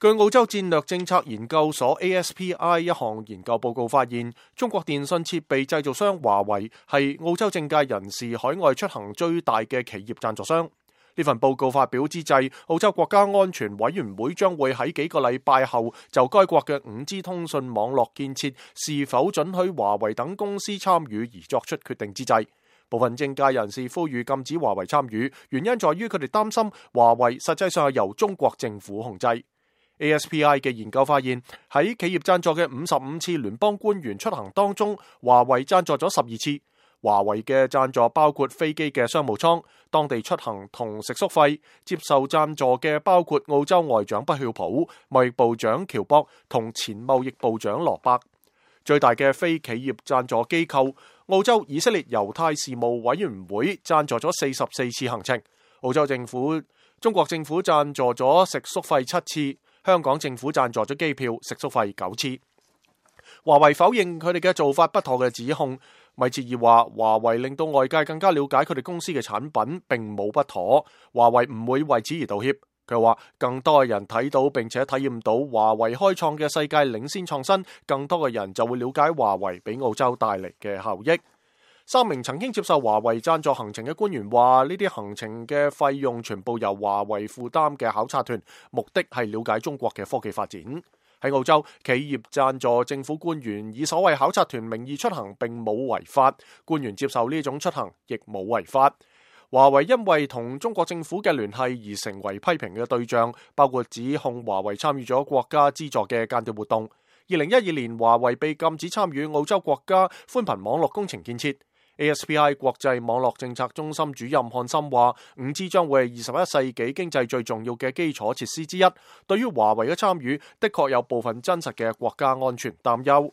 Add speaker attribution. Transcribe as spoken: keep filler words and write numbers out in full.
Speaker 1: 據澳洲戰略政策研究所 A S P I 一項研究報告發現，中國電信設備製造商華為係澳洲政界人士海外出行最大嘅企業贊助商。呢份報告發表之際，澳洲國家安全委員會將會喺幾個禮拜後就該國嘅 五 G 通訊網絡建設是否准許華為等公司參與而作出決定之際，部分政界人士呼籲禁止華為參與，原因在於佢哋擔心華為實際上係由中國政府控制。A S P I 嘅研究發現，喺企業贊助嘅五十五次聯邦官員出行當中，華為贊助咗十二次。華為嘅贊助包括飛機嘅商務艙、當地出行同食宿費。接受贊助嘅包括澳洲外長畢曉普、貿易部長喬博同前貿易部長羅伯。最大嘅非企業贊助機構澳洲以色列猶太事務委員會贊助咗四十四次行程。澳洲政府、中國政府贊助咗食宿費七次。香港政府贊助咗機票、食宿費九次。華為否認佢哋嘅做法不妥嘅指控。米切爾話：華為令到外界更加了解佢哋公司嘅產品並冇不妥，華為唔會為此而道歉。佢話更多嘅人睇到並且體驗到華為開創嘅世界領先創新，更多嘅人就會了解華為俾澳洲帶嚟嘅效益。三名曾經接受華為贊助行程嘅官員話：呢啲行程嘅費用全部由華為負擔嘅考察團，目的係了解中國嘅科技發展。喺澳洲，企業贊助政府官員以所謂考察團名義出行並冇違法，官員接受呢種出行亦冇違法。華為因為同中國政府嘅聯繫而成為批評嘅對象，包括指控華為參與咗國家資助嘅間諜活動。二零一二年，華為被禁止參與澳洲國家寬頻網絡工程建設。A S P I 國際網絡政策中心主任漢森話：五 G 將會係二十一世紀經濟最重要嘅基礎設施之一。對於華為嘅參與，的確有部分真實嘅國家安全擔憂。